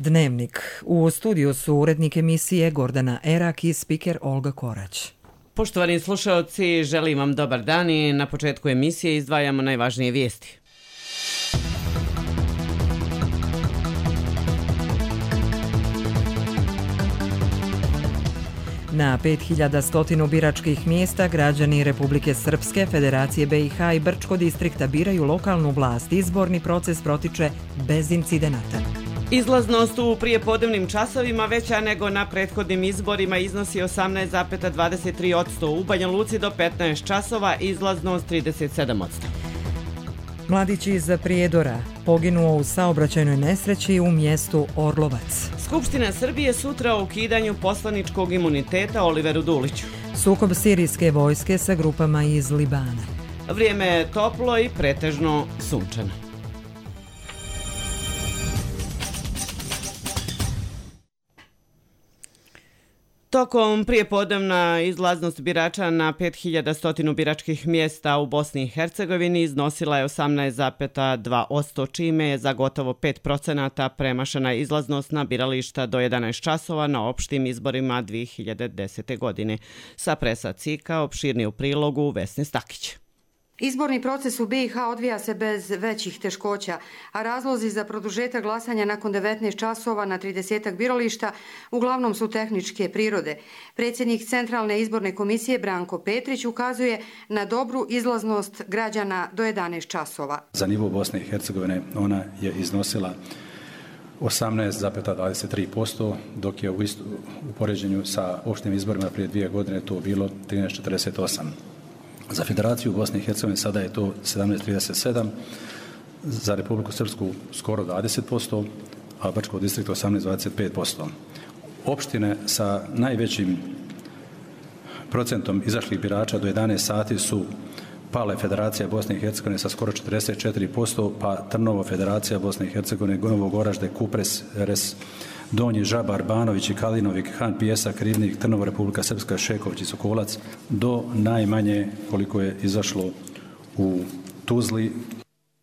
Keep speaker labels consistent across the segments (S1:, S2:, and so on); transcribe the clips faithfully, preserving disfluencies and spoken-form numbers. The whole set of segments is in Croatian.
S1: Dnevnik. U studiju su urednik emisije Gordana Erak i spiker Olga Korać.
S2: Poštovani slušaoci, želim vam dobar dan i na početku emisije izdvajamo najvažnije vijesti.
S1: Na pet hiljada sto biračkih mjesta građani Republike Srpske, Federacije B i H i Brčko distrikta biraju lokalnu vlast. Izborni proces protiče bez incidenata.
S2: Izlaznost u prijepodnevnim časovima veća nego na prethodnim izborima iznosi osamnaest zarez dvadeset tri posto. U Banja Luci do petnaest časova izlaznost trideset sedam posto.
S1: Mladić iz Prijedora poginuo u saobraćajnoj nesreći u mjestu Orlovac.
S2: Skupština Srbije sutra o ukidanju poslaničkog imuniteta Oliveru Duliću.
S1: Sukob sirijske vojske sa grupama iz Libana.
S2: Vrijeme je toplo i pretežno sunčano. Tokom prijepodnevna izlaznost birača na pet hiljada sto biračkih mjesta u Bosni i Hercegovini iznosila je osamnaest zarez dva posto, čime je za gotovo pet procenata premašena izlaznost na birališta do jedanaest časova na opštim izborima dvije hiljade desete. godine. Sa presa Cika opširni u prilogu Vesne Stakić.
S3: Izborni proces u B i H odvija se bez većih teškoća, a razlozi za produžetak glasanja nakon devetnaest časova na tridesetak birališta uglavnom su tehničke prirode. Predsjednik Centralne izborne komisije Branko Petrić ukazuje na dobru izlaznost građana do jedanaest časova.
S4: Za nivo Bosne i Hercegovine ona je iznosila osamnaest zarez dvadeset tri posto, dok je u, istu, u poređenju sa opštim izborima prije dvije godine to bilo trinaest zarez četrdeset osam. Za Federaciju Bosne i Hercegovine sada je to sedamnaest zarez trideset sedam, za Republiku Srpsku skoro dvadeset posto, a Brčkog distrikta osamnaest zarez dvadeset pet posto. Opštine sa najvećim procentom izašlih birača do jedanaest sati su Pale Federacija Bosne i Hercegovine sa skoro četrdeset četiri posto, pa Trnovo Federacija Bosne i Hercegovine, Novo Goražde, Kupres, Res, Donji Žabar, Banović i Kalinovik, Han Pijesak, Rivnik, Trnovo, Republika Srpska, Šeković i Sokolac, do najmanje koliko je izašlo u Tuzli.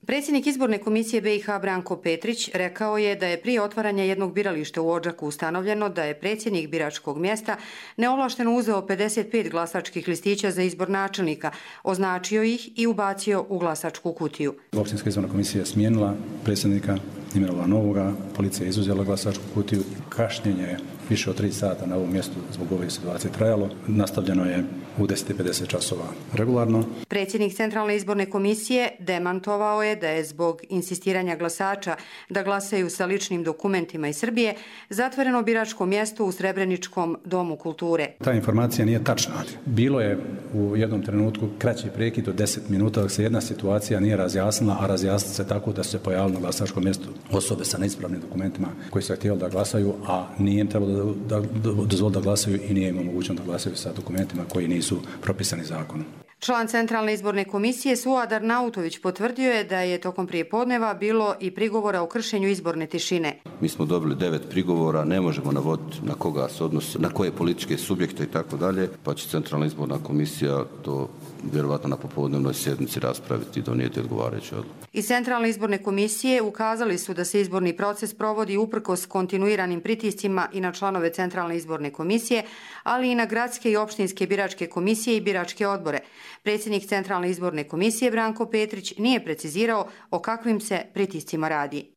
S3: Predsjednik izborne komisije B i H Branko Petrić rekao je da je prije otvaranja jednog birališta u Odžaku ustanovljeno da je predsjednik biračkog mjesta neovlašteno uzeo pedeset pet glasačkih listića za izbor načelnika, označio ih i ubacio u glasačku kutiju.
S4: Opštinska izborna komisija je smijenila predsjednika, imenovala novoga, policija je izuzela glasačku kutiju. Kašnjenje je više od tri sata na ovom mjestu zbog ove situacije trajalo. Nastavljeno je u deset i pedeset časova regularno.
S3: Predsjednik Centralne izborne komisije demantovao je da je zbog insistiranja glasača da glasaju sa ličnim dokumentima iz Srbije zatvoreno biračko mjesto u Srebreničkom domu kulture.
S4: Ta informacija nije tačna. Bilo je u jednom trenutku kraći prekid od deset minuta dok se jedna situacija nije razjasnila, a razjasnila se tako da se pojavilo na glasačkom mjestu osobe sa neispravnim dokumentima koji su htjeli da glasaju, a nije im trebalo da, da, da dozvoli da glasaju i nije im omogućeno da glasaju sa dokumentima koji nisu propisani zakonom.
S3: Član Centralne izborne komisije Suad Arnautović potvrdio je da je tokom prijepodneva bilo i prigovora o kršenju izborne tišine.
S5: Mi smo dobili devet prigovora, ne možemo navoditi na koga se odnosi, na koje političke subjekte i tako dalje, pa će Centralna izborna komisija to vjerovatno na popodnevnoj sjednici raspraviti i donijeti odgovarajuće odluke.
S3: Iz Centralne izborne komisije ukazali su da se izborni proces provodi uprkos kontinuiranim pritiscima i na članove Centralne izborne komisije, ali i na gradske i opštinske biračke komisije i biračke odbore. Predsjednik Centralne izborne komisije Branko Petrić nije precizirao o kakvim se pritiscima radi.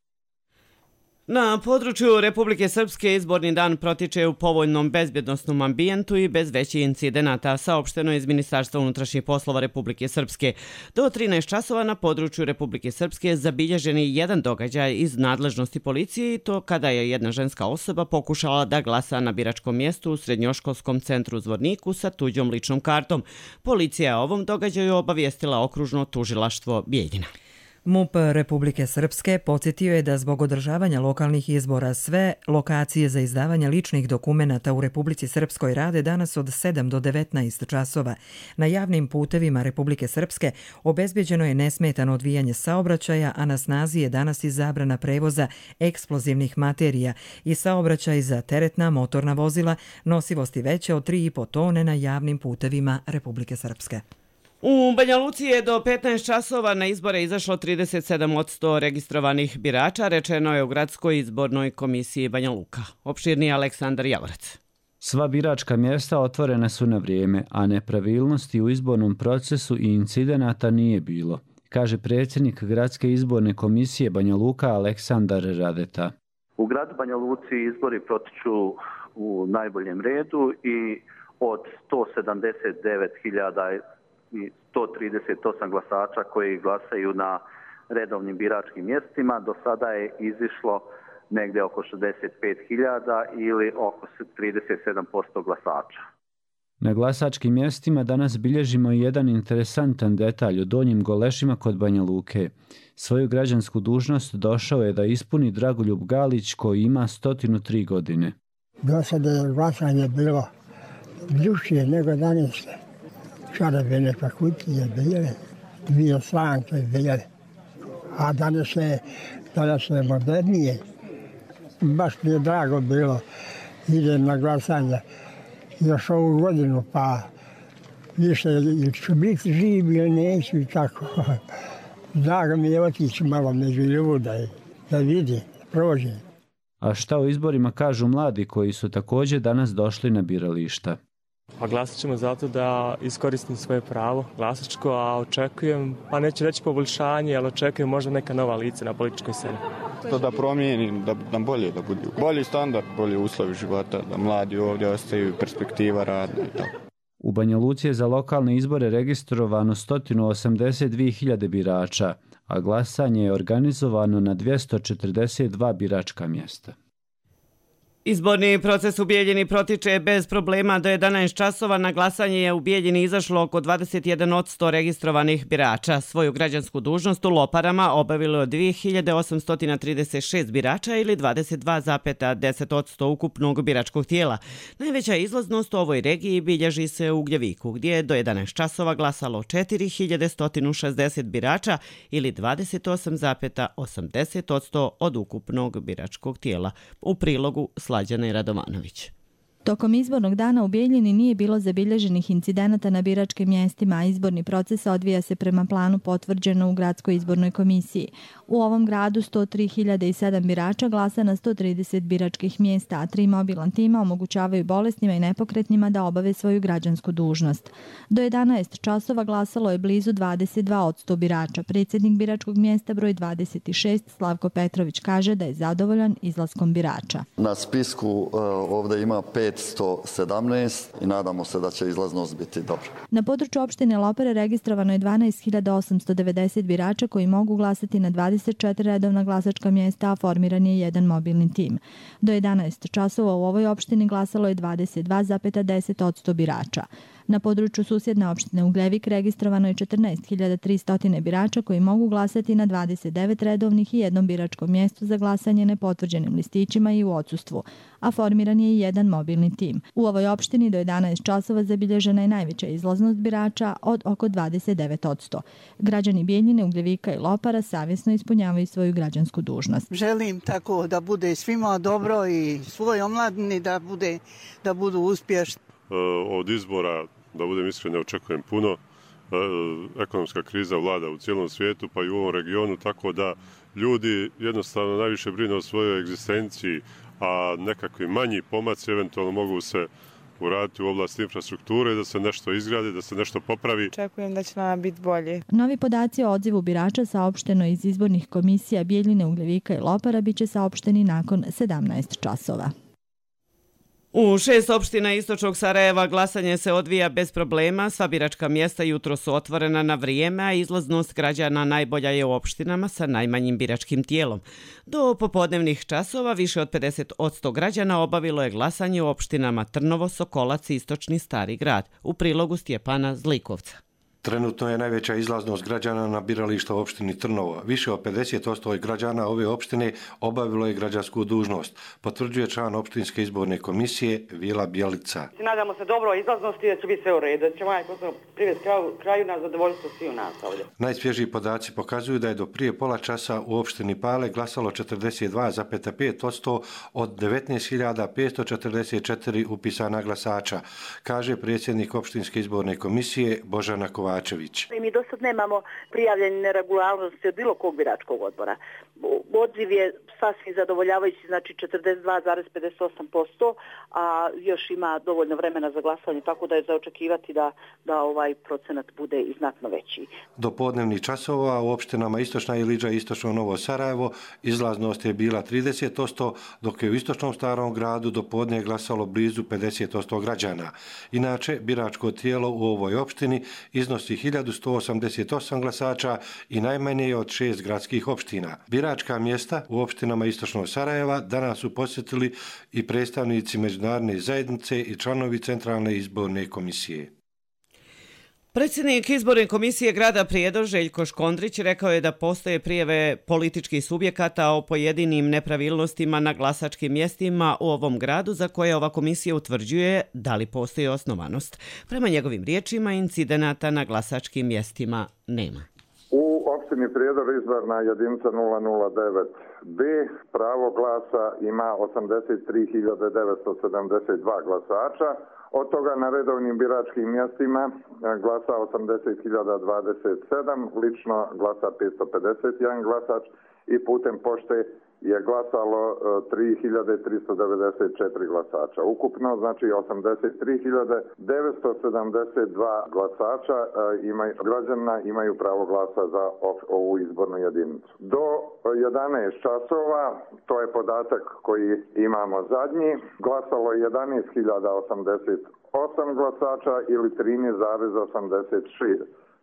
S2: Na području Republike Srpske izborni dan protiče u povoljnom bezbjednosnom ambijentu i bez većih incidenata, saopšteno iz Ministarstva unutrašnjih poslova Republike Srpske. Do trinaest časova na području Republike Srpske zabilježen je jedan događaj iz nadležnosti policije i to kada je jedna ženska osoba pokušala da glasa na biračkom mjestu u Srednjoškolskom centru u Zvorniku sa tuđom ličnom kartom. Policija je o ovom događaju obavijestila okružno tužilaštvo Bijeljina.
S1: MUP Republike Srpske podsjetio je da zbog održavanja lokalnih izbora sve lokacije za izdavanje ličnih dokumenata u Republici Srpskoj rade danas od sedam do devetnaest časova. Na javnim putevima Republike Srpske obezbeđeno je nesmetano odvijanje saobraćaja, a na snazi je danas i zabrana prevoza eksplozivnih materija i saobraćaj za teretna motorna vozila nosivosti veće od tri i po tone na javnim putevima Republike Srpske.
S2: U Banja Luci je do petnaest časova na izbore izašlo trideset sedam posto registrovanih birača, rečeno je u Gradskoj izbornoj komisiji Banja Luka. Opširniji Aleksandar Javorac.
S6: Sva biračka mjesta otvorena su na vrijeme, a nepravilnosti u izbornom procesu i incidenata nije bilo, kaže predsjednik Gradske izborne komisije Banja Luka Aleksandar Radeta.
S7: U gradu Banja Luci izbori protiču u najboljem redu i od sto sedamdeset devet hiljada i sto trideset osam glasača koji glasaju na redovnim biračkim mjestima, do sada je izišlo negdje oko šezdeset pet hiljada ili oko trideset sedam posto glasača.
S6: Na glasačkim mjestima danas bilježimo i jedan interesantan detalj o Donjim Golešima kod Banja Luke. Svoju građansku dužnost došao je da ispuni Dragoljub Galić koji ima sto tri godine.
S8: Do sada je glasanje bilo drukčije nego danas. Čarobene kutije bile, dvije slanke bile, a danas je, danas je modernije. Baš mi je drago bilo, idem na glasanje još ovu godinu, pa više ili ću biti živ ili neću i tako. Drago mi je otići malo među ljuda i da vidi, prođe.
S6: A šta o izborima kažu mladi koji su također danas došli na birališta?
S9: Pa glasat ćemo zato da iskoristim svoje pravo glasačko, a očekujem, pa neću reći poboljšanje, ali očekujem možda neka nova lica na političkoj sceni.
S10: To da promijenim, da nam bolje da bude. Bolji standard, bolji uslovi života, da mladi ovdje ostaju, perspektiva radna i tako.
S6: U Banja Luci je za lokalne izbore registrovano sto osamdeset dvije hiljade birača, a glasanje je organizovano na dvjesto četrdeset dva biračka mjesta.
S2: Izborni proces u Bijeljini protiče bez problema. Do jedanaest časova na glasanje je u Bijeljini izašlo oko dvadeset jedan posto registrovanih birača. Svoju građansku dužnost u Loparama obavilo je dvije hiljade osamsto trideset šest birača ili dvadeset dva zarez deset posto ukupnog biračkog tijela. Najveća izlaznost u ovoj regiji bilježi se u Ugljeviku, gdje je do jedanaest časova glasalo četiri hiljade sto šezdeset birača ili dvadeset osam zarez osamdeset posto od ukupnog biračkog tijela. U prilogu Slađana Radovanović.
S11: Tokom izbornog dana u Bijeljini nije bilo zabilježenih incidenata na biračkim mjestima, a izborni proces odvija se prema planu potvrđeno u Gradskoj izbornoj komisiji. U ovom gradu sto tri hiljade sedam birača glasa na sto trideset biračkih mjesta, a tri mobilan tima omogućavaju bolesnima i nepokretnima da obave svoju građansku dužnost. Do jedanaest časova glasalo je blizu dvadeset dva posto birača. Predsjednik biračkog mjesta broj dvadeset šest Slavko Petrović kaže da je zadovoljan izlaskom birača.
S12: Na spisku uh, ovdje ima petsto sedamnaest i nadamo se da će izlaznost biti dobra.
S11: Na području opštine Lopare registrovano je dvanaest hiljada osamsto devedeset birača koji mogu glasati na dvadeset četiri redovna glasačka mjesta, a formiran je jedan mobilni tim. Do jedanaest časova u ovoj opštini glasalo je dvadeset dva zarez deset posto birača. Na području susjedne opštine Ugljevik registrovano je četrnaest hiljada tristo birača koji mogu glasati na dvadeset devet redovnih i jednom biračkom mjestu za glasanje nepotvrđenim listićima i u odsustvu, a formiran je i jedan mobilni tim. U ovoj opštini do jedanaest časova zabilježena je najveća izlaznost birača od oko dvadeset devet posto. Građani Bijeljine, Ugljevika i Lopara savjesno ispunjavaju svoju građansku dužnost.
S13: Želim tako da bude svima dobro i svoj omladini da, bude, da budu uspješni.
S14: Od izbora, da budem iskren, ne očekujem puno. Ekonomska kriza vlada u cijelom svijetu, pa i u ovom regionu, tako da ljudi jednostavno najviše brinu o svojoj egzistenciji, a nekakvi manji pomaci eventualno mogu se uraditi u oblasti infrastrukture, da se nešto izgradi, da se nešto popravi.
S15: Očekujem da će nam biti bolje.
S11: Novi podaci o odzivu birača saopšteno iz izbornih komisija Bijeljine, Ugljevika i Lopara biće saopšteni nakon sedamnaest časova.
S2: U šest opština istočnog Sarajeva glasanje se odvija bez problema. Sva biračka mjesta jutro su otvorena na vrijeme, a izlaznost građana najbolja je u opštinama sa najmanjim biračkim tijelom. Do popodnevnih časova više od pedeset posto građana obavilo je glasanje u opštinama Trnovo, Sokolac i Istočni Stari grad. U prilogu Stjepana Zlikovca.
S16: Trenutno je najveća izlaznost građana na birališta u opštini Trnovo. Više od pedeset posto građana ove opštine obavilo je građansku dužnost, potvrđuje član opštinske izborne komisije Vila Bjelica.
S17: Nadamo se dobro izlaznosti da će biti sve u redu, da će ovaj posao privesti kraju, kraju na zadovoljstvo svi u nas ovdje.
S16: Najsvježiji podaci pokazuju da je do prije pola časa u opštini Pale glasalo četrdeset dva zarez pet posto od devetnaest hiljada petsto četrdeset četiri upisana glasača, kaže predsjednik opštinske izborne komisije Božana Kovačević. Kovačević.
S18: Mi do sad nemamo prijavljene neregularnosti od bilo kog biračkog odbora. Odziv je sasvim zadovoljavajući, znači četrdeset dva zarez pedeset osam posto, a još ima dovoljno vremena za glasanje, tako da je za očekivati da, da ovaj procenat bude i znatno veći.
S16: Do podnevnih časova u opštinama Istočna Iliđa i Istočno Novo Sarajevo izlaznost je bila trideset posto, dok je u Istočnom Starom gradu do podne glasalo blizu pedeset posto građana. Inače, biračko tijelo u ovoj opštini iznosi hiljadu sto osamdeset osam glasača i najmanje je od šest gradskih opština. Biračka mjesta u opštinama Istočnog Sarajeva danas su posjetili i predstavnici međunarodne zajednice i članovi Centralne izborne komisije.
S2: Predsjednik izborne komisije grada Prijedor Željko Škondrić rekao je da postoje prijave političkih subjekata o pojedinim nepravilnostima na glasačkim mjestima u ovom gradu za koje ova komisija utvrđuje da li postoji osnovanost. Prema njegovim riječima, incidenata na glasačkim mjestima nema.
S19: U opštini Prijedor izborna jedinica nula nula devet B pravo glasa ima osamdeset tri hiljade devetsto sedamdeset dva glasača. Od toga na redovnim biračkim mjestima glasa osamdeset hiljada dvadeset sedam, lično glasa petsto pedeset jedan glasač i putem pošte je glasalo tri hiljade tristo devedeset četiri glasača. Ukupno, znači osamdeset tri hiljade devetsto sedamdeset dva glasača imaju, građana imaju pravo glasa za ovu izbornu jedinicu. Do jedanaest časova, to je podatak koji imamo zadnji, glasalo je jedanaest hiljada osamdeset osam glasača ili trinaest zarez osamdeset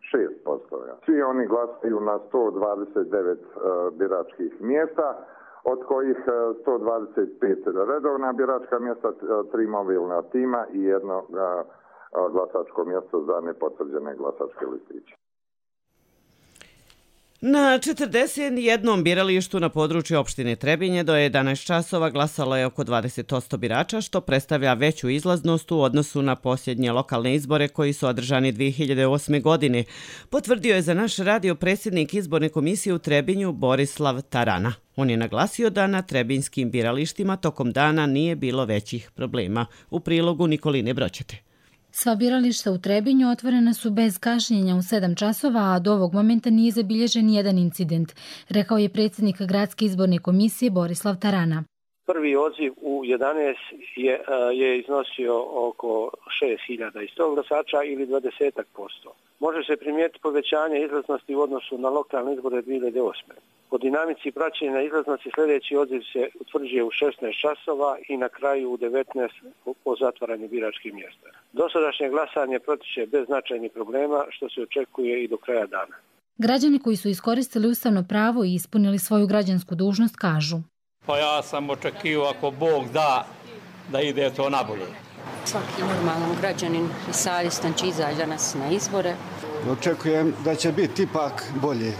S19: šest posto. Svi oni glasaju na sto dvadeset devet biračkih mjesta, od kojih sto dvadeset pet redovna biračka mjesta, tri mobilna tima i jedno glasačko mjesto za nepotvrđene glasačke listiće.
S2: Na četrdeset jednom biralištu na području opštine Trebinje do jedanaest časova glasalo je oko dvadeset posto birača, što predstavlja veću izlaznost u odnosu na posljednje lokalne izbore koji su održani dvije hiljade osme. godine, potvrdio je za naš radio predsjednik izborne komisije u Trebinju Borislav Tarana. On je naglasio da na trebinjskim biralištima tokom dana nije bilo većih problema. U prilogu Nikoline Broćete.
S20: Sva birališta u Trebinju otvorena su bez kašnjenja u sedam časova, a do ovog momenta nije zabilježen jedan incident, rekao je predsjednik Gradske izborne komisije Borislav Tarana.
S21: Prvi odziv u jedanaest je, je iznosio oko šest hiljada sto glasača ili dvadeset posto. Može se primijetiti povećanje izlaznosti u odnosu na lokalne izbore dvije hiljade osme. Po dinamici praćenja izlaznosti sljedeći odziv se utvrđuje u šesnaest časova i na kraju u devetnaest po zatvaranju biračkih mjesta. Dosadašnje glasanje protiče bez značajnih problema, što se očekuje i do kraja dana.
S20: Građani koji su iskoristili ustavno pravo i ispunili svoju građansku dužnost kažu:
S22: Pa ja sam očekivao, ako Bog da, da ide to nabolje.
S23: Svaki normalan građanin i savjestan će izaći danas na izbore.
S24: Očekujem da će biti ipak bolje.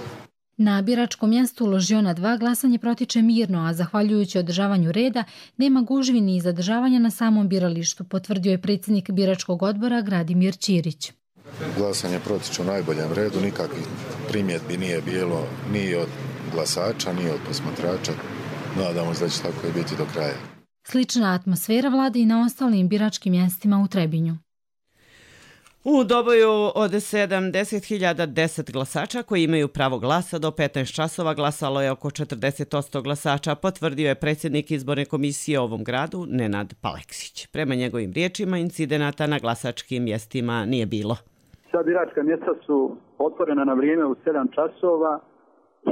S20: Na biračkom mjestu Ložiona dva glasanje protiče mirno, a zahvaljujući održavanju reda nema gužvi ni zadržavanja na samom biralištu, potvrdio je predsjednik biračkog odbora Gradimir Ćirić.
S25: Glasanje protiče u najboljem redu, nikakvih primjedbi nije bilo ni od glasača, ni od posmatrača. Nadamo se da će tako i biti do kraja.
S20: Slična atmosfera vlada i na ostalim biračkim mjestima u Trebinju.
S2: U Doboju od sedamdeset hiljada deset glasača koji imaju pravo glasa do petnaest časova glasalo je oko četrdeset posto glasača, potvrdio je predsjednik izborne komisije u ovom gradu Nenad Paleksić. Prema njegovim riječima, incidenata na glasačkim mjestima nije bilo.
S26: Sva biračka mjesta su otvorena na vrijeme u sedam časova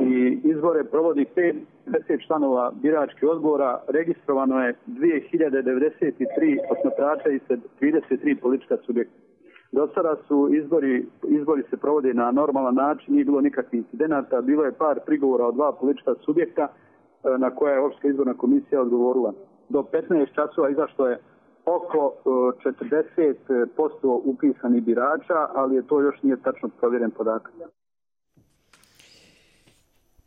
S26: i izbore provodi pedeset članova biračkih odbora. Registrovano je dvije hiljade devedeset tri posmatrača i trideset tri politička subjekta. Do sada su izbori, izbori se provode na normalan način, nije bilo nikakvih incidenata, bilo je par prigovora od dva politička subjekta na koje je Opštinska izborna komisija odgovorila. Do petnaest časova izašlo je oko četrdeset posto upisanih birača, ali je to još nije tačno provjeren podatak.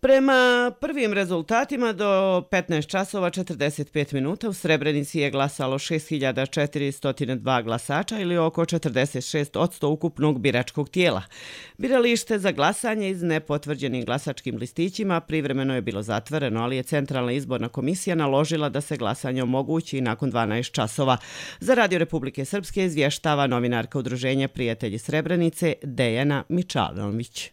S2: Prema prvim rezultatima do petnaest časova četrdeset pet minuta u Srebrenici je glasalo šest hiljada četiristo dva glasača ili oko četrdeset šest posto ukupnog biračkog tijela. Biralište za glasanje iz nepotvrđenim glasačkim listićima privremeno je bilo zatvoreno, ali je Centralna izborna komisija naložila da se glasanje omogući nakon dvanaest časova. Za Radio Republike Srpske izvještava novinarka Udruženja Prijatelji Srebrenice Dejana Mičanović.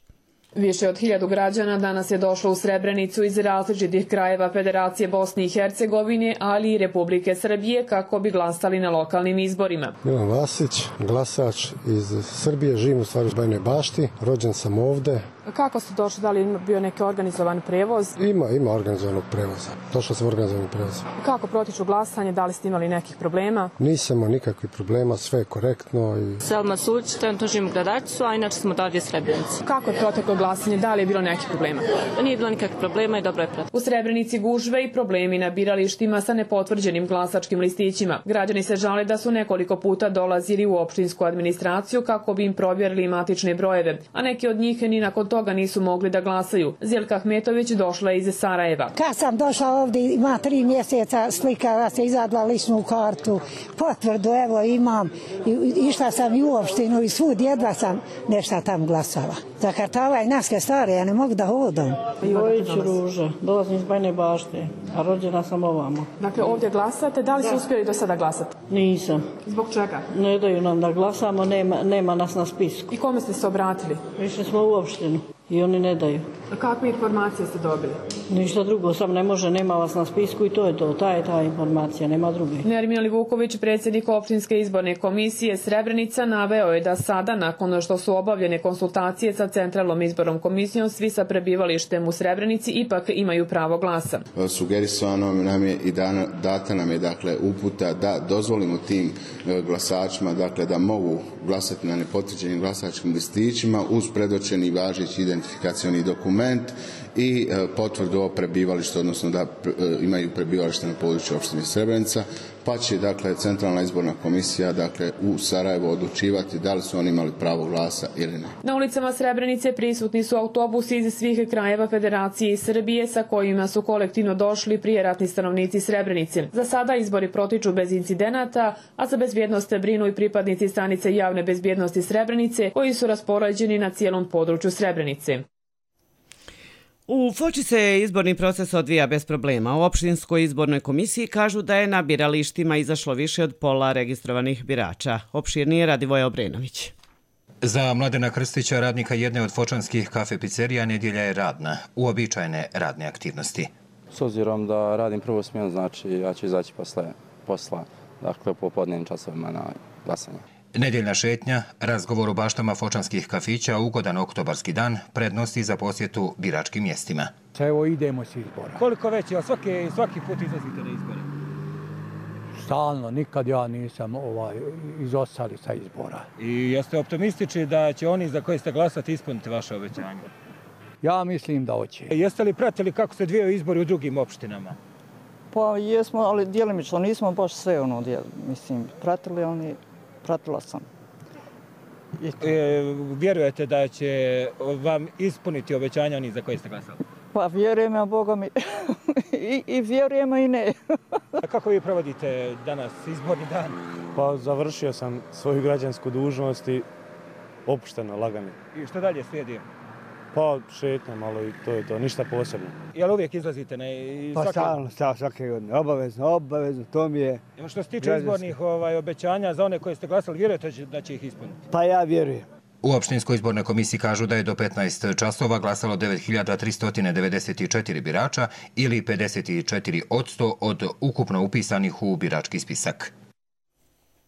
S1: Više od hiljadu građana danas je došlo u Srebrenicu iz različitih krajeva Federacije Bosne i Hercegovine, ali i Republike Srbije kako bi glasali na lokalnim izborima.
S3: Milan Vasić, glasač iz Srbije, živim u stvari u Bajnoj Bašti, rođen sam ovde.
S1: Kako ste došli, da li je bio neki organizovan prevoz?
S3: Ima, ima organizovanog prevoza. Došao sam organizovanog prevoza.
S1: Kako protiču glasanje, da li ste imali nekih problema?
S3: Nisam imao nikakvih problema, sve je korektno. I...
S4: Selma Suć, trenutno živim u Gradačcu, a inače smo ovdje Srebrenici.
S1: Kako je proteklo glasanje, da li je bilo nekih problema?
S4: Nije bilo nikakvih problema i dobro je proteklo.
S1: U Srebrenici gužve i problemi na biralištima sa nepotvrđenim glasačkim listićima. Građani se žale da su nekoliko puta dolazili u opštinsku administraciju kako bi im provjerili matične brojeve, a neki od njih ni nakon toga nisu mogli da glasaju. Zjelka Ahmetović došla je iz Sarajeva.
S5: Kad sam došla ovdje, ima tri mjeseca, slikala se, izadla ličnu kartu, potvrdu, evo imam, išla sam i u opštinu i svud, jedva sam nešto tam glasala. Za kartava i naske stare, ja ne mogu da hodam.
S7: Vojić Ruža, dolazim iz Bajne Bašte, a rođena sam ovamo.
S1: Dakle, ovdje glasate, da li ste uspjeli do sada glasati?
S7: Nisam.
S1: Zbog čega?
S7: Ne daju nam da glasamo, nema, nema nas na spisku.
S1: I kome ste se obratili?
S7: Išli smo u opštinu i oni ne daju.
S1: A kakve informacije ste dobili?
S7: Ništa drugo, sam ne može, nema vas na spisku i to je to, ta je ta informacija, nema druge.
S1: Nermin Livuković, predsjednik opštinske izborne komisije Srebrenica, naveo je da sada, nakon što su obavljene konsultacije sa Centralnom izbornom komisijom, svi sa prebivalištem u Srebrenici ipak imaju pravo glasa.
S8: Sugerisano nam je i dana, data nam je dakle uputa da dozvolimo tim glasačima dakle da mogu glasati na nepotvrđenim glasačkim listićima uz predočeni važeći identifikacioni dokument i e, potvrdu o prebivalištu, odnosno da e, imaju prebivalište na području opštine Srebrenica, pa će dakle Centralna izborna komisija dakle u Sarajevu odlučivati da li su oni imali pravo glasa ili ne.
S1: Na ulicama Srebrenice prisutni su autobusi iz svih krajeva Federacije i Srbije sa kojima su kolektivno došli prijeratni stanovnici Srebrenice. Za sada izbori protiču bez incidenata, a za bezbjednost brinu i pripadnici stanice javne bezbjednosti Srebrenice koji su raspoređeni na cijelom području Srebrenice.
S2: U Foči se izborni proces odvija bez problema. U opštinskoj izbornoj komisiji kažu da je na biralištima izašlo više od pola registrovanih birača. Opširnije Radivoje Obrenović.
S27: Za Mladena Krstića, radnika jedne od fočanskih kafe pizzerija, nedjelja je radna, uobičajene radne aktivnosti.
S28: S obzirom da radim prvu smjenu, znači ja ću izaći posle posla, dakle po podnevnim časovima na glasanje.
S27: Nedjeljna šetnja, razgovor u baštama fočanskih kafića, ugodan oktobarski dan, prednosti za posjetu biračkim mjestima.
S29: Evo idemo s izbora.
S30: Koliko već je, svaki, svaki put izlazite na izbore?
S29: Stalno, nikad ja nisam ovaj, izostali sa izbora.
S30: I jeste optimistični da će oni za koje ste glasati ispuniti vaše obećanje?
S29: Ja mislim da hoće.
S30: Jeste li pratili kako se dvijaju izbori u drugim opštinama?
S31: Pa jesmo, ali djelimično nismo baš sve ono, mislim, pratili oni. Pratila sam.
S30: E, vjerujete da će vam ispuniti obećanja oni za koje ste glasali?
S31: Pa vjerujem ja, Boga mi. I, I vjerujemo i ne.
S30: A kako vi provodite danas izborni dan?
S32: Pa završio sam svoju građansku dužnost i opušteno, lagano.
S30: I što dalje slijedi?
S32: Pa šetnja malo i to je to, ništa posebno.
S30: Jel uvijek izlazite na
S32: svake... Pa stalno, stalno, svake godine, obavezno, obavezno, to mi je...
S30: Evo što se tiče građanski. Izbornih ovaj, obećanja za one koje ste glasali, vjerujete da će ih ispuniti?
S32: Pa ja vjerujem.
S27: U opštinskoj izbornoj komisiji kažu da je do petnaest časova glasalo devet hiljada tristo devedeset četiri birača ili pedeset četiri posto od ukupno upisanih u birački spisak.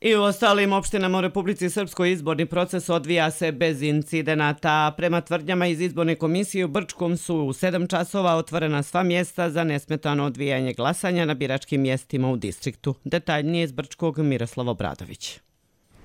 S2: I u ostalim opštinama u Republici Srpskoj izborni proces odvija se bez incidenata. Prema tvrdnjama iz izborne komisije u Brčkom su u sedam časova otvorena sva mjesta za nesmetano odvijanje glasanja na biračkim mjestima u distriktu. Detaljnije iz Brčkog Miroslav Obradović.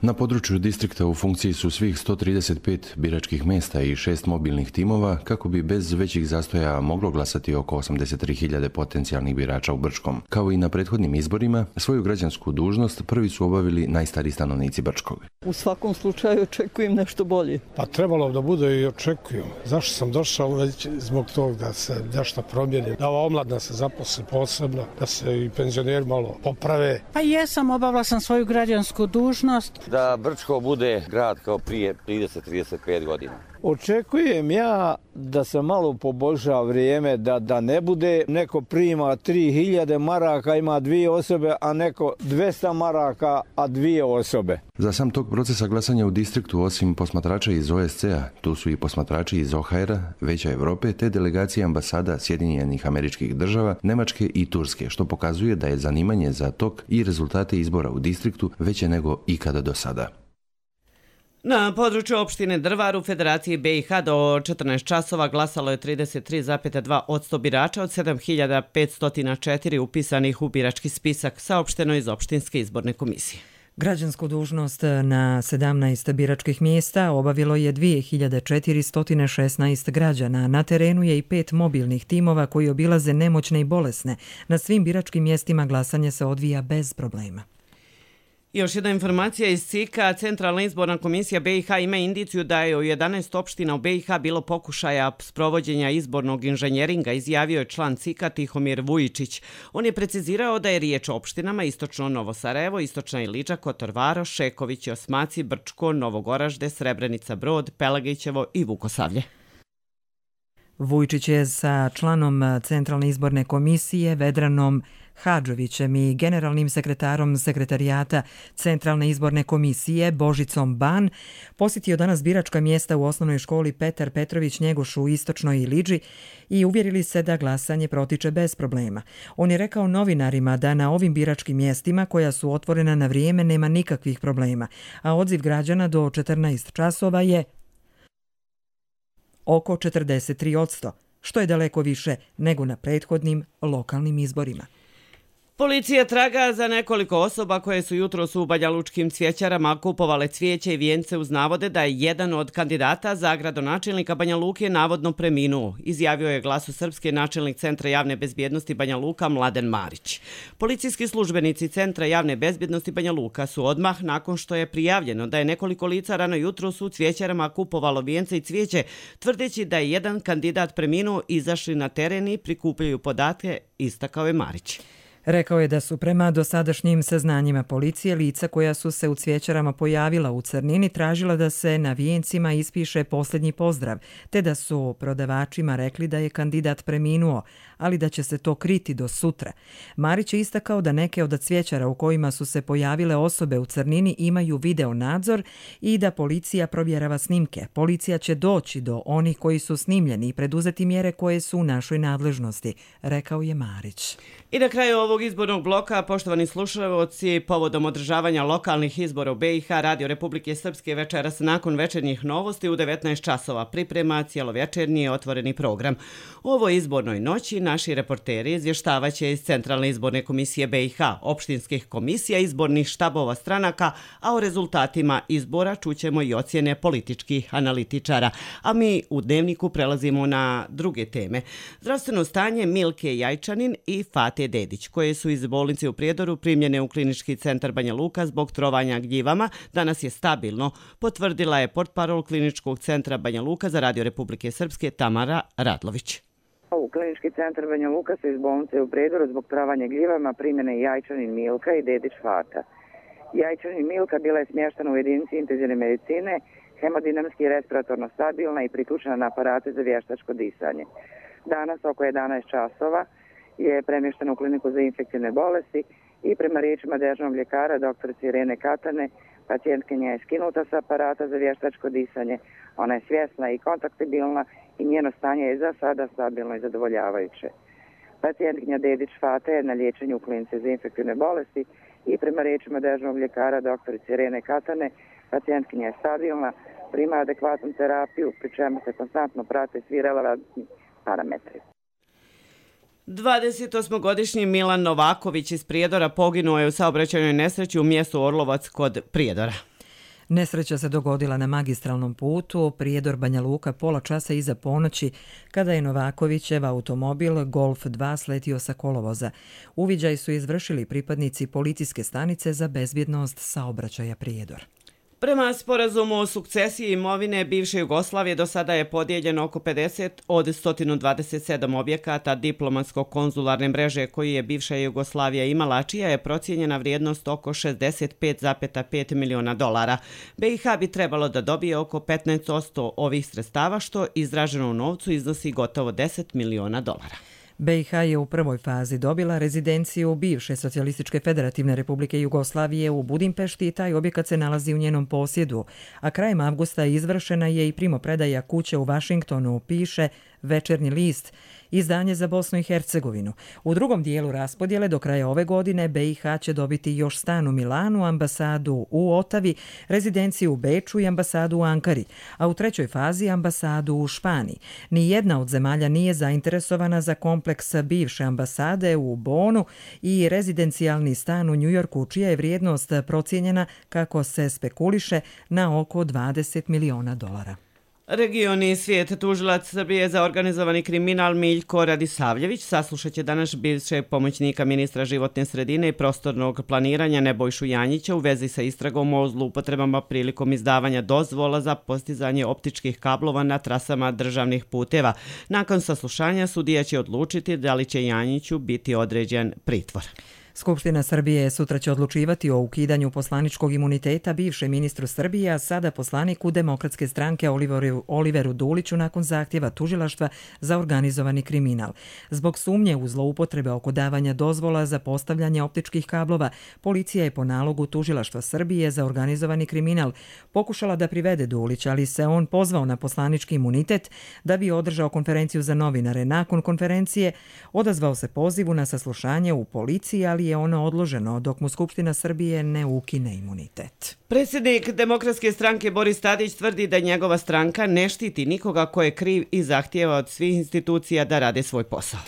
S6: Na području distrikta u funkciji su svih sto trideset pet biračkih mjesta i šest mobilnih timova kako bi bez većih zastoja moglo glasati oko osamdeset tri hiljade potencijalnih birača u Brčkom. Kao i na prethodnim izborima, svoju građansku dužnost prvi su obavili najstariji stanovnici Brčkog.
S31: U svakom slučaju očekujem nešto bolje.
S9: Pa trebalo da bude i očekujem. Zašto sam došao već zbog tog da se nešto promijeni, da ova omladna se zaposli posebno, da se i penzioneri malo poprave.
S10: Pa jesam, obavila sam svoju građansku dužnost.
S11: Da Brčko bude grad kao prije trideset do trideset pet godina.
S12: Očekujem ja da se malo poboljša vrijeme, da, da ne bude neko prima tri hiljade maraka, ima dvije osobe, a neko dvesta maraka, a dvije osobe.
S6: Za sam tog procesa glasanja u distriktu, osim posmatrača iz O S C-a, tu su i posmatrači iz O H R-a, Veća Evrope, te delegacije ambasada Sjedinjenih Američkih Država, Nemačke i Turske, što pokazuje da je zanimanje za tok i rezultate izbora u distriktu veće nego ikada do sada.
S2: Na području opštine Drvar u Federaciji B i H do četrnaest časova glasalo je trideset tri zarez dva posto birača od sedam hiljada petsto četiri upisanih u birački spisak, saopšteno iz opštinske izborne komisije.
S13: Građansku dužnost na sedamnaest biračkih mjesta obavilo je dvije hiljade četiristo šesnaest građana. Na terenu je i pet mobilnih timova koji obilaze nemoćne i bolesne. Na svim biračkim mjestima glasanje se odvija bez problema.
S2: Još jedna informacija iz C I K-a. Centralna izborna komisija B i H ima indiciju da je u jedanaest opština u B i H bilo pokušaja sprovođenja izbornog inženjeringa, izjavio je član C I K-a Tihomir Vujičić. On je precizirao da je riječ o opštinama Istočno Novo Sarajevo, Istočna Iliča, Kotor Varoš, Šeković, Osmaci, Brčko, Novogoražde, Srebrenica Brod, Pelagićevo i Vukosavlje.
S13: Vujičić je sa članom Centralne izborne komisije Vedranom Hadžovićem i generalnim sekretarom sekretarijata Centralne izborne komisije Božicom Ban posjetio danas biračka mjesta u osnovnoj školi Petar Petrović Njegoš u Istočnoj Iliđi i uvjerili se da glasanje protiče bez problema. On je rekao novinarima da na ovim biračkim mjestima koja su otvorena na vrijeme nema nikakvih problema, a odziv građana do četrnaest časova je oko četrdeset tri posto, što je daleko više nego na prethodnim lokalnim izborima.
S2: Policija traga za nekoliko osoba koje su jutros u banjalučkim cvjećarama kupovale cvijeće i vijence uz navode da je jedan od kandidata za gradonačelnika Banja Luke navodno preminuo, izjavio je Glasu Srpske načelnik Centra javne bezbjednosti Banja Luka Mladen Marić. Policijski službenici Centra javne bezbjednosti Banja Luka su odmah nakon što je prijavljeno da je nekoliko lica rano jutros u cvjećarama kupovalo vijence i cvijeće, tvrdeći da je jedan kandidat preminuo, izašli na teren i prikupljaju podatke, istakao je Marić.
S13: Rekao je da su prema dosadašnjim saznanjima policije lica koja su se u cvjećarama pojavila u crnini tražila da se na vijencima ispiše posljednji pozdrav, te da su prodavačima rekli da je kandidat preminuo, ali da će se to kriti do sutra. Marić je istakao da neke od cvjećara u kojima su se pojavile osobe u crnini imaju video nadzor i da policija provjerava snimke. Policija će doći do onih koji su snimljeni i preduzeti mjere koje su u našoj nadležnosti, rekao je Marić.
S2: I na kraju ovog izbornog bloka, poštovani slušalci, povodom održavanja lokalnih izbora u B i H, Radio Republike Srpske večeras nakon večernjih novosti u devetnaest časova priprema cijelovečernji otvoreni program. U ovoj izbornoj noći naši reporteri izvještavaće iz Centralne izborne komisije B i H, opštinskih komisija, izbornih štabova stranaka, a o rezultatima izbora čućemo i ocjene političkih analitičara. A mi u dnevniku prelazimo na druge teme. Zdravstveno stanje Milke Jajčanin i Fate Dedić, koje su iz bolnice u Prijedoru primljene u klinički centar Banja Luka zbog trovanja gljivama, danas je stabilno, potvrdila je portparol kliničkog centra Banja Luka za Radio Republike Srpske Tamara Radlović.
S14: U klinički centar Banja Luka su iz bolnice u Prijedoru zbog trovanja gljivama primjene Jajčanin Milka i Dedić Fata. Jajčanin Milka bila je smještena u jedinici intenzivne medicine, hemodinamski i respiratorno stabilna i priključena na aparate za vještačko disanje. Danas oko jedanaest časova je premještena u kliniku za infektivne bolesti i prema riječima dežurnog ljekara doktorice Irene Katane, pacijentkinja je skinuta sa aparata za vještačko disanje. Ona je svjesna i kontaktibilna i njeno stanje je za sada stabilno i zadovoljavajuće. Pacijentkinja Dedić Fata je na liječenju u klinici za infektivne bolesti i prema riječima dežurnog ljekara doktorice Irene Katane, pacijentkinja je stabilna, prima adekvatnu terapiju, pri čemu se konstantno prate svi relevantni parametri.
S2: dvadesetosmogodišnji Milan Novaković iz Prijedora poginuo je u saobraćajnoj nesreći u mjestu Orlovac kod Prijedora.
S13: Nesreća se dogodila na magistralnom putu Prijedor Banja Luka pola časa iza ponoći, kada je Novakovićev automobil Golf dva sletio sa kolovoza. Uviđaj su izvršili pripadnici policijske stanice za bezbjednost saobraćaja Prijedor.
S2: Prema sporazumu o sukcesiji imovine bivše Jugoslavije do sada je podijeljeno oko pedeset od sto dvadeset sedam objekata diplomatsko-konzularne mreže koji je bivša Jugoslavija imala, čija je procijenjena vrijednost oko šezdeset pet zarez pet miliona dolara. B i H bi trebalo da dobije oko petnaest posto ovih sredstava, što izraženo u novcu iznosi gotovo deset miliona dolara.
S13: B i H je u prvoj fazi dobila rezidenciju bivše Socijalističke federativne republike Jugoslavije u Budimpešti i taj objekat se nalazi u njenom posjedu, a krajem avgusta izvršena je i primopredaja kuće u Vašingtonu, piše Večernji list, izdanje za Bosnu i Hercegovinu. U drugom dijelu raspodjele do kraja ove godine B i H će dobiti još stan u Milanu, ambasadu u Otavi, rezidenciju u Beču i ambasadu u Ankari, a u trećoj fazi ambasadu u Španiji. Nijedna od zemalja nije zainteresovana za kompleks bivše ambasade u Bonu i rezidencijalni stan u Njujorku, čija je vrijednost procijenjena, kako se spekuliše, na oko dvadeset miliona dolara.
S2: Regioni svijet tužilac Srbije za organizovani kriminal Miljko Radisavljević saslušat će danas bivšeg pomoćnika ministra životne sredine i prostornog planiranja Nebojšu Janjića u vezi sa istragom o zloupotrebama prilikom izdavanja dozvola za postizanje optičkih kablova na trasama državnih puteva. Nakon saslušanja sudija će odlučiti da li će Janjiću biti određen pritvor.
S13: Skupština Srbije sutra će odlučivati o ukidanju poslaničkog imuniteta bivšem ministru Srbije, a sada poslaniku Demokratske stranke Oliveru, Oliveru Duliću nakon zahtjeva tužilaštva za organizovani kriminal. Zbog sumnje u zloupotrebe oko davanja dozvola za postavljanje optičkih kablova, policija je po nalogu tužilaštva Srbije za organizovani kriminal pokušala da privede Dulića, ali se on pozvao na poslanički imunitet da bi održao konferenciju za novinare. Nakon konferencije odazvao se pozivu na saslušanje u policiji, ali je ono odloženo dok mu Skupština Srbije ne ukine imunitet.
S2: Predsjednik Demokratske stranke Boris Tadić tvrdi da njegova stranka ne štiti nikoga ko je kriv i zahtijeva od svih institucija da rade svoj posao.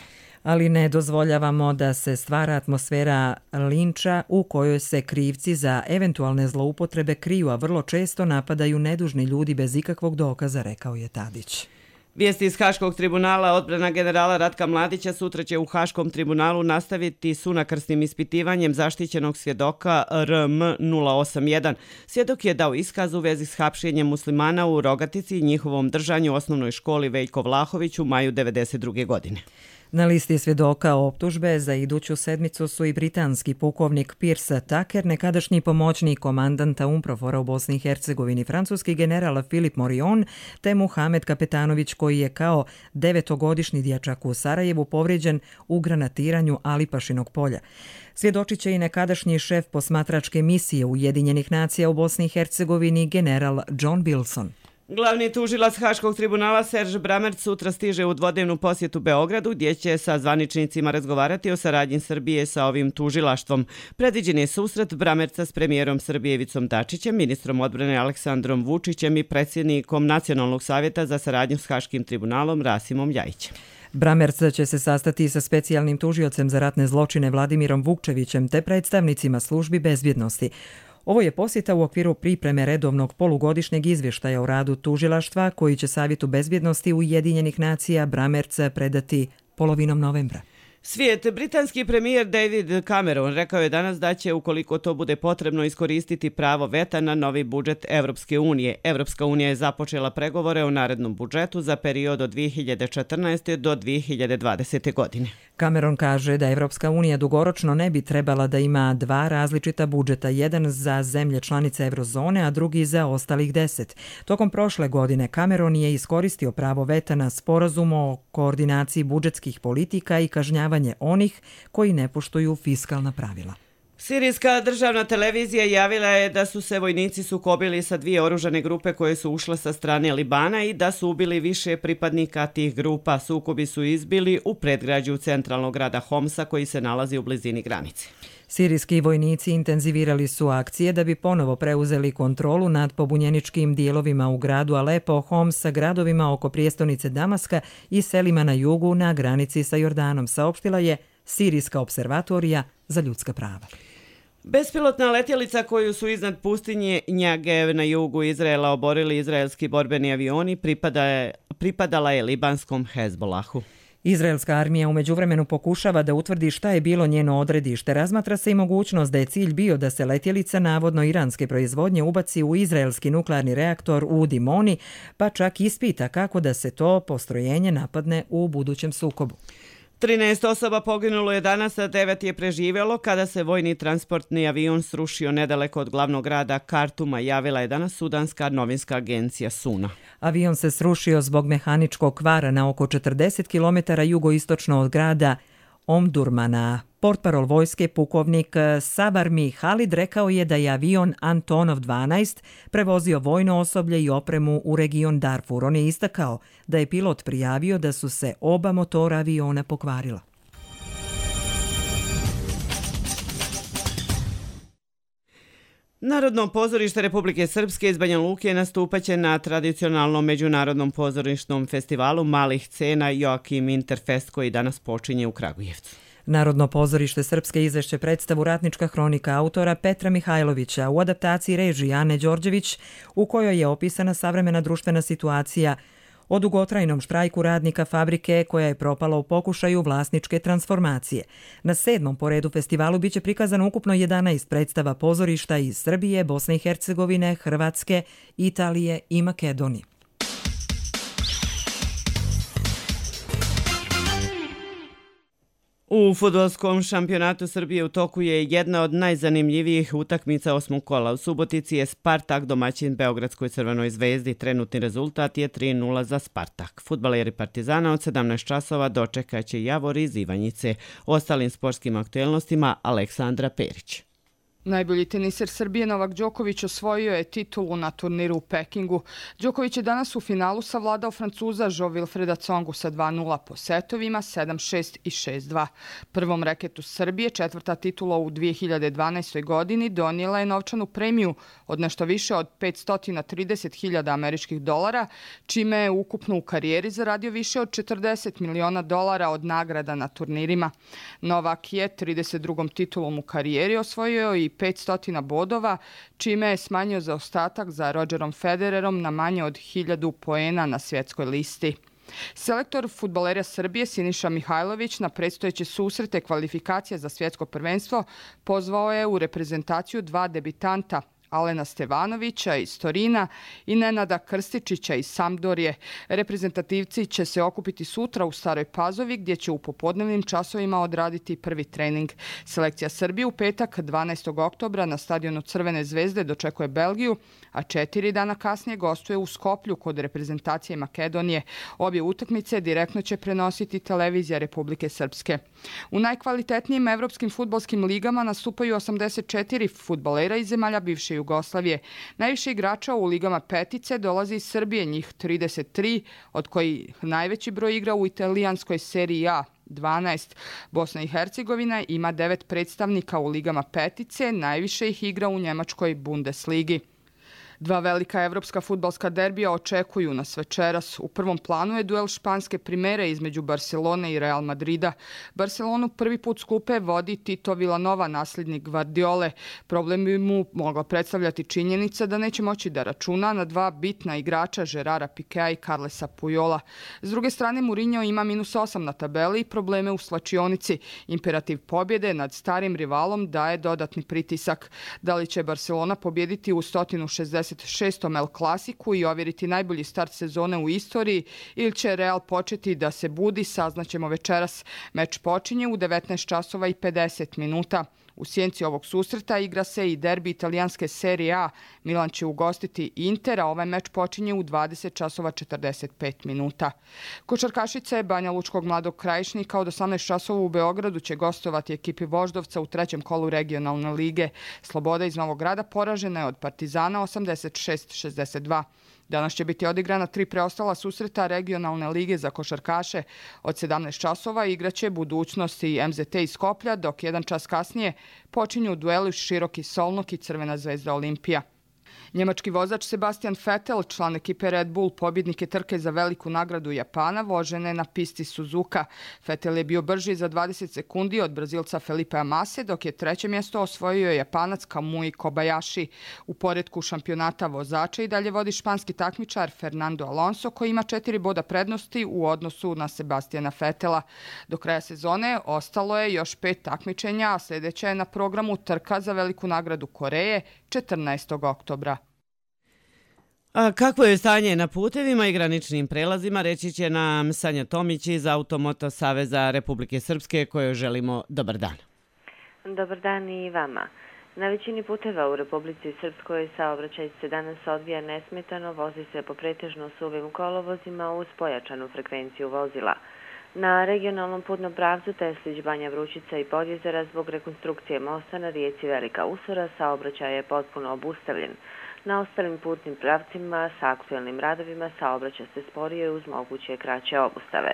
S13: Ali ne dozvoljavamo da se stvara atmosfera linča u kojoj se krivci za eventualne zloupotrebe kriju, a vrlo često napadaju nedužni ljudi bez ikakvog dokaza, rekao je Tadić.
S2: Vijesti iz Haškog tribunala. Odbrana generala Ratka Mladića sutra će u Haškom tribunalu nastaviti s unakrsnim ispitivanjem zaštićenog svjedoka R M nula osam jedan. Svjedok je dao iskaz u vezi s hapšenjem muslimana u Rogatici i njihovom držanju u osnovnoj školi Veljko Vlahović u maju devedeset druge godine.
S13: Na listi svjedoka optužbe za iduću sedmicu su i britanski pukovnik Piers Tucker, nekadašnji pomoćnik komandanta UNPROFOR-a u Bosni i Hercegovini, francuski general Filip Morion, te Muhamed Kapetanović, koji je kao devetogodišnji dječak u Sarajevu povrijeđen u granatiranju Alipašinog polja. Svjedočit će i nekadašnji šef posmatračke misije Ujedinjenih nacija u Bosni i Hercegovini, general John Bilson.
S2: Glavni tužilac Haškog tribunala Serž Bramerc sutra stiže u dvodnevnu posjetu Beogradu, gdje će sa zvaničnicima razgovarati o saradnji Srbije sa ovim tužilaštvom. Predviđen je susret Bramerca s premijerom Srbije Ivicom Dačićem, ministrom odbrane Aleksandrom Vučićem i predsjednikom Nacionalnog savjeta za saradnju s Haškim tribunalom Rasimom Ljajićem.
S13: Bramerc će se sastati sa specijalnim tužiocem za ratne zločine Vladimirom Vukčevićem te predstavnicima službi bezbjednosti. Ovo je posjeta u okviru pripreme redovnog polugodišnjeg izvještaja o radu tužilaštva koji će Savjetu bezbjednosti Ujedinjenih nacija Bramerca predati polovinom novembra.
S2: Svijet. Britanski premijer David Cameron rekao je danas da će, ukoliko to bude potrebno, iskoristiti pravo veta na novi budžet Evropske unije. Evropska unija je započela pregovore o narednom budžetu za period od dvije hiljade četrnaeste. do dvije hiljade dvadesete. godine.
S13: Cameron kaže da Evropska unija dugoročno ne bi trebala da ima dva različita budžeta, jedan za zemlje članice eurozone, a drugi za ostalih deset. Tokom prošle godine Cameron je iskoristio pravo veta na sporazum o koordinaciji budžetskih politika i kažnjavanje onih koji ne poštuju fiskalna pravila.
S2: Sirijska državna televizija javila je da su se vojnici sukobili sa dvije oružane grupe koje su ušle sa strane Libana i da su ubili više pripadnika tih grupa. Sukobi su izbili u predgrađu centralnog grada Homsa koji se nalazi u blizini granice.
S13: Sirijski vojnici intenzivirali su akcije da bi ponovo preuzeli kontrolu nad pobunjeničkim dijelovima u gradu Alepo, Homsa, gradovima oko prijestolnice Damaska i selima na jugu na granici sa Jordanom, saopštila je Sirijska observatorija za ljudska prava.
S2: Bespilotna letjelica koju su iznad pustinje Negev na jugu Izraela oborili izraelski borbeni avioni pripada je, pripadala je libanskom Hezbolahu.
S13: Izraelska armija u međuvremenu pokušava da utvrdi šta je bilo njeno odredište. Razmatra se i mogućnost da je cilj bio da se letjelica navodno iranske proizvodnje ubaci u izraelski nuklearni reaktor u Dimoni, pa čak ispita kako da se to postrojenje napadne u budućem sukobu.
S2: trinaest osoba poginulo je danas, a devet je preživjelo kada se vojni transportni avion srušio nedaleko od glavnog grada Kartuma, javila je danas sudanska novinska agencija Suna.
S13: Avion se srušio zbog mehaničkog kvara na oko četrdeset kilometara jugoistočno od grada Omdurmana. Portparol vojske pukovnik Sabarmi Halid rekao je da je avion Antonov dvanaest prevozio vojno osoblje i opremu u region Darfur. On je istakao da je pilot prijavio da su se oba motora aviona pokvarila.
S2: Narodno pozorište Republike Srpske iz Banja Luke nastupaće na tradicionalnom međunarodnom pozorišnom festivalu malih scena Joakim Interfest koji danas počinje u Kragujevcu.
S13: Narodno pozorište Srpske izvešće predstavu Ratnička hronika autora Petra Mihajlovića u adaptaciji režije Ane Đorđević, u kojoj je opisana savremena društvena situacija o dugotrajnom štrajku radnika fabrike koja je propala u pokušaju vlasničke transformacije. Na sedmom po redu festivalu biće prikazano ukupno jedanaest predstava pozorišta iz Srbije, Bosne i Hercegovine, Hrvatske, Italije i Makedonije.
S2: U fudbalskom šampionatu Srbije u toku je jedna od najzanimljivijih utakmica osmog kola. U Subotici je Spartak domaćin Beogradskoj Crvenoj zvezdi. Trenutni rezultat je tri nula za Spartak. Fudbaleri Partizana od sedamnaest časova dočekaće Javor iz Ivanjice. O ostalim sportskim aktuelnostima Aleksandra Perić.
S15: Najbolji teniser Srbije Novak Đoković osvojio je titulu na turniru u Pekingu. Đoković je danas u finalu savladao Francuza Jo-Wilfreda Tsongu sa dva nula po setovima sedam šest i šest dva. Prvom reketu Srbije, četvrta titula u dvije hiljade dvanaestoj. godini, donijela je novčanu premiju od nešto više od petsto trideset hiljada američkih dolara, čime je ukupno u karijeri zaradio više od četrdeset miliona dolara od nagrada na turnirima. Novak je trideset drugom titulom u karijeri osvojio i petsto bodova, čime je smanjio zaostatak za Rodgerom Federerom na manje od hiljadu poena na svjetskoj listi. Selektor fudbalera Srbije Siniša Mihajlović na predstojeće susrete kvalifikacija za svjetsko prvenstvo pozvao je u reprezentaciju dva debitanta, Alena Stevanovića iz Torina i Nenada Krstičića iz Sampdorije. Reprezentativci će se okupiti sutra u Staroj Pazovi gdje će u popodnevnim časovima odraditi prvi trening. Selekcija Srbije u petak dvanaestog oktobra na stadionu Crvene zvezde dočekuje Belgiju, a četiri dana kasnije gostuje u Skoplju kod reprezentacije Makedonije. Obje utakmice direktno će prenositi televizija Republike Srpske. U najkvalitetnijim evropskim fudbalskim ligama nastupaju osamdeset četiri fudbalera iz zemalja bivše Jugoslavije. Najviše igrača u ligama petice dolazi iz Srbije, njih trideset tri, od kojih najveći broj igra u italijanskoj seriji A, dvanaest. Bosna i Hercegovina ima devet predstavnika u ligama petice, najviše ih igra u njemačkoj Bundesligi. Dva velika evropska fudbalska derbija očekuju nas večeras. U prvom planu je duel španske primere između Barcelone i Real Madrida. Barcelonu prvi put s klupe vodi Tito Vilanova, nasljednik Guardiole. Problem bi mu mogla predstavljati činjenica da neće moći da računa na dva bitna igrača Gerara Pikea i Carlesa Pujola. S druge strane, Mourinho ima minus osam na tabeli i probleme u slačionici. Imperativ pobjede nad starim rivalom daje dodatni pritisak. Da li će Barcelona pobjediti u sto šezdeset šestom El Klasiku i ovjeriti najbolji start sezone u istoriji ili će Real početi da se budi, saznaćemo večeras. Meč počinje u devetnaest časova i pedeset minuta. U sjenci ovog susreta igra se i derbi italijanske serije A. Milan će ugostiti Inter, a ovaj meč počinje u dvadeset časova četrdeset pet minuta. Košarkašice Banja Lučkog Mladog Krajišnika od osamnaest časova u Beogradu će gostovati ekipi Voždovca u trećem kolu regionalne lige. Sloboda iz Novog Grada poražena je od Partizana osamdeset šest šezdeset dva. Danas će biti odigrana tri preostala susreta regionalne lige za košarkaše. Od sedamnaest časova igraće Budućnost i M Z T iz Skoplja, dok jedan čas kasnije počinju dueli Široki Solnok i Crvena zvezda Olimpija. Njemački vozač Sebastian Vettel, član ekipe Red Bull, pobjednik je trke za veliku nagradu Japana, vožene na pisti Suzuka. Vettel je bio brži za dvadeset sekundi od Brazilca Felipea Mase, dok je treće mjesto osvojio Japanac Kamui Kobayashi. U poretku šampionata vozača i dalje vodi španski takmičar Fernando Alonso, koji ima četiri boda prednosti u odnosu na Sebastiana Vettela. Do kraja sezone ostalo je još pet takmičenja, a sljedeća je na programu trka za veliku nagradu Koreje četrnaestog oktobra.
S2: A kakvo je stanje na putevima i graničnim prelazima, reći će nam Sanja Tomić iz Automoto Saveza Republike Srpske, kojoj želimo dobar dan.
S3: Dobar dan i vama. Na većini puteva u Republici Srpskoj saobraćaj se danas odvija nesmetano, vozi se po pretežno suvim kolovozima uz pojačanu frekvenciju vozila. Na regionalnom putnom pravcu Teslić, Banja Vrućica i Podjezera zbog rekonstrukcije mosta na rijeci Velika Usora saobraćaj je potpuno obustavljen. Na ostalim putnim pravcima sa aktuelnim radovima saobraća se sporije uz moguće kraće obustave.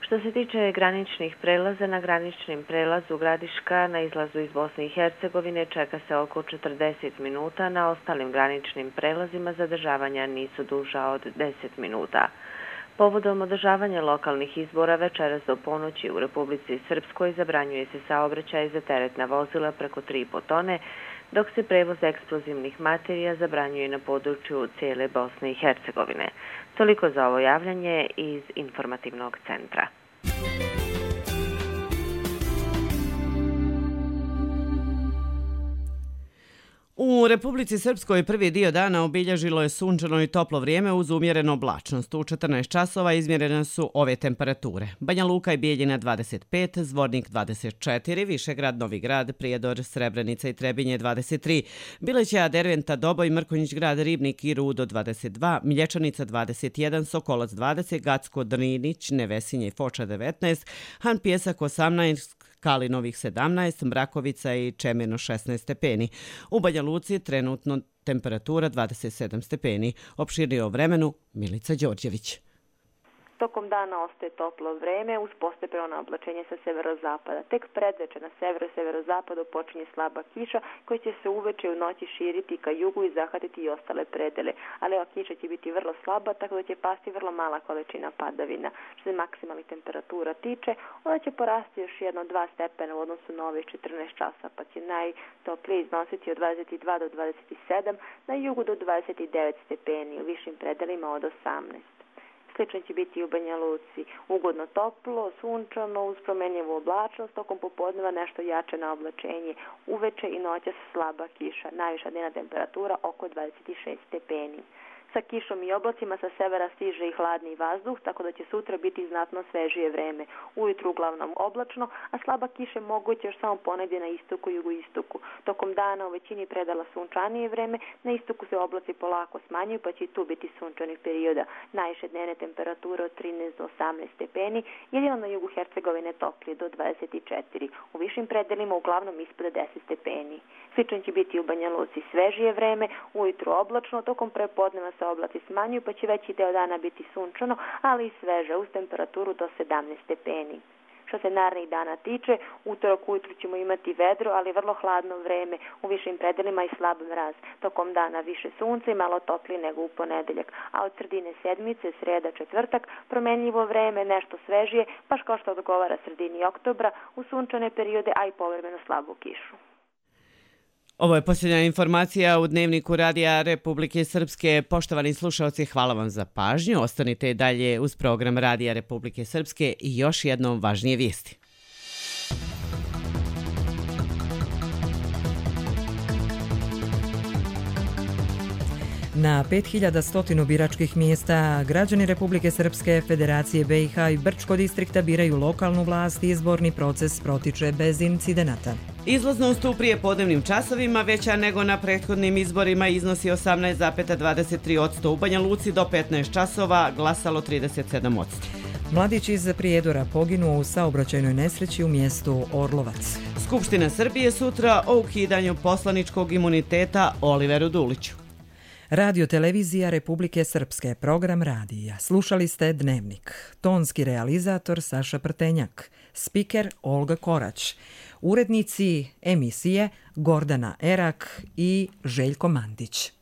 S3: Što se tiče graničnih prelaza, na graničnim prelazu Gradiška na izlazu iz Bosne i Hercegovine čeka se oko četrdeset minuta, na ostalim graničnim prelazima zadržavanja nisu duža od deset minuta. Povodom održavanja lokalnih izbora večeras do ponoći u Republici Srpskoj zabranjuje se saobraćaj za teretna vozila preko tri i po tone, dok se prevoz eksplozivnih materija zabranjuje na području cijele Bosne i Hercegovine. Toliko za ovo javljanje iz informativnog centra.
S2: U Republici Srpskoj prvi dio dana obilježilo je sunčano i toplo vrijeme uz umjerenu oblačnost. U četrnaest časova izmjerene su ove temperature. Banja Luka i Bijeljina dvadeset pet, Zvornik dvadeset četiri, Višegrad, Novi Grad, Prijedor, Srebrenica i Trebinje dvadeset tri, Bileća, Derventa, Doboj, Mrkonjić Grad, Ribnik i Rudo dvadeset dva, Milječanica dvadeset jedan, Sokolac dvadeset, Gacko, Drnić, Nevesinje i Foča devetnaest, Han Pjesak osamnaest, Kalinovih sedamnaest, Mrakovica i Čemirno šesnaest stepeni. U Banja Luci trenutno temperatura dvadeset sedam stepeni. Opširnije o vremenu Milica Đorđević.
S16: Tokom dana ostaje toplo vreme uz postepeno oblačenje sa severozapada. Tek predveče na severu i severozapadu počinje slaba kiša koja će se uveče u noći širiti ka jugu i zahvatiti i ostale predele. Ali ova kiša će biti vrlo slaba, tako da će pasti vrlo mala količina padavina. Što se maksimalnih temperatura tiče, ona će porasti još jedno dva stepena u odnosu na ovih četrnaest časa, pa će najtoplije iznositi od dvadeset dva do dvadeset sedam, na jugu do dvadeset devet stepeni, u višim predelima od osamnaest. Slično će biti i u Banja Luci. Ugodno toplo, sunčano, uz promenljivu oblačnost, tokom popodneva nešto jače na oblačenje. Uveče i noćas slaba kiša. Najviša dnevna temperatura oko dvadeset šest stepeni. Sa kišom i oblacima sa severa stiže i hladni vazduh, tako da će sutra biti znatno svežije vreme. Ujutru uglavnom oblačno, a slaba kiša moguće još samo ponegdje na istoku i jugoistoku. Tokom dana u većini predala sunčanije vreme, na istoku se oblaci polako smanjuju, pa će i tu biti sunčanih perioda. Najviše dnevne temperature od trinaest do osamnaest stepeni, jedino na jugu Hercegovine toplije do dvadeset četiri. U višim predelima uglavnom ispod deset stepeni. Slično će biti u Banja Luci svežije vreme, ujutru oblačno, tokom prepodneva se oblaci smanjuju, pa će veći deo dana biti sunčano, ali i sveže uz temperaturu do sedamnaest stepeni. Što se narednih dana tiče, utorak ujutru ćemo imati vedro, ali vrlo hladno vreme, u višim predelima i slab mraz. Tokom dana više sunca i malo toplije nego u ponedeljak, a od sredine sedmice, sreda, četvrtak, promenljivo vreme, nešto svežije, baš kao što odgovara sredini oktobra, u sunčane periode, a i povremeno slabu kišu.
S2: Ovo je posljednja informacija u Dnevniku Radija Republike Srpske. Poštovani slušalci, hvala vam za pažnju. Ostanite dalje uz program Radija Republike Srpske i još jednom važnije vijesti.
S13: Na pet hiljada sto biračkih mjesta građani Republike Srpske, Federacije B i H i Brčko distrikta biraju lokalnu vlast i izborni proces protiče bez incidenata.
S2: Izlaznost u prijepodnevnim časovima veća nego na prethodnim izborima iznosi osamnaest zarez dvadeset tri posto. U Banja Luci do petnaest časova glasalo trideset sedam posto.
S13: Mladić iz Prijedora poginuo u saobraćajnoj nesreći u mjestu Orlovac.
S2: Skupština Srbije sutra o ukidanju poslaničkog imuniteta Oliveru Duliću.
S13: Radio televizija Republike Srpske, program radija. Slušali ste Dnevnik. Tonski realizator Saša Prtenjak. Spiker Olga Korać. Urednici emisije Gordana Erak i Željko Mandić.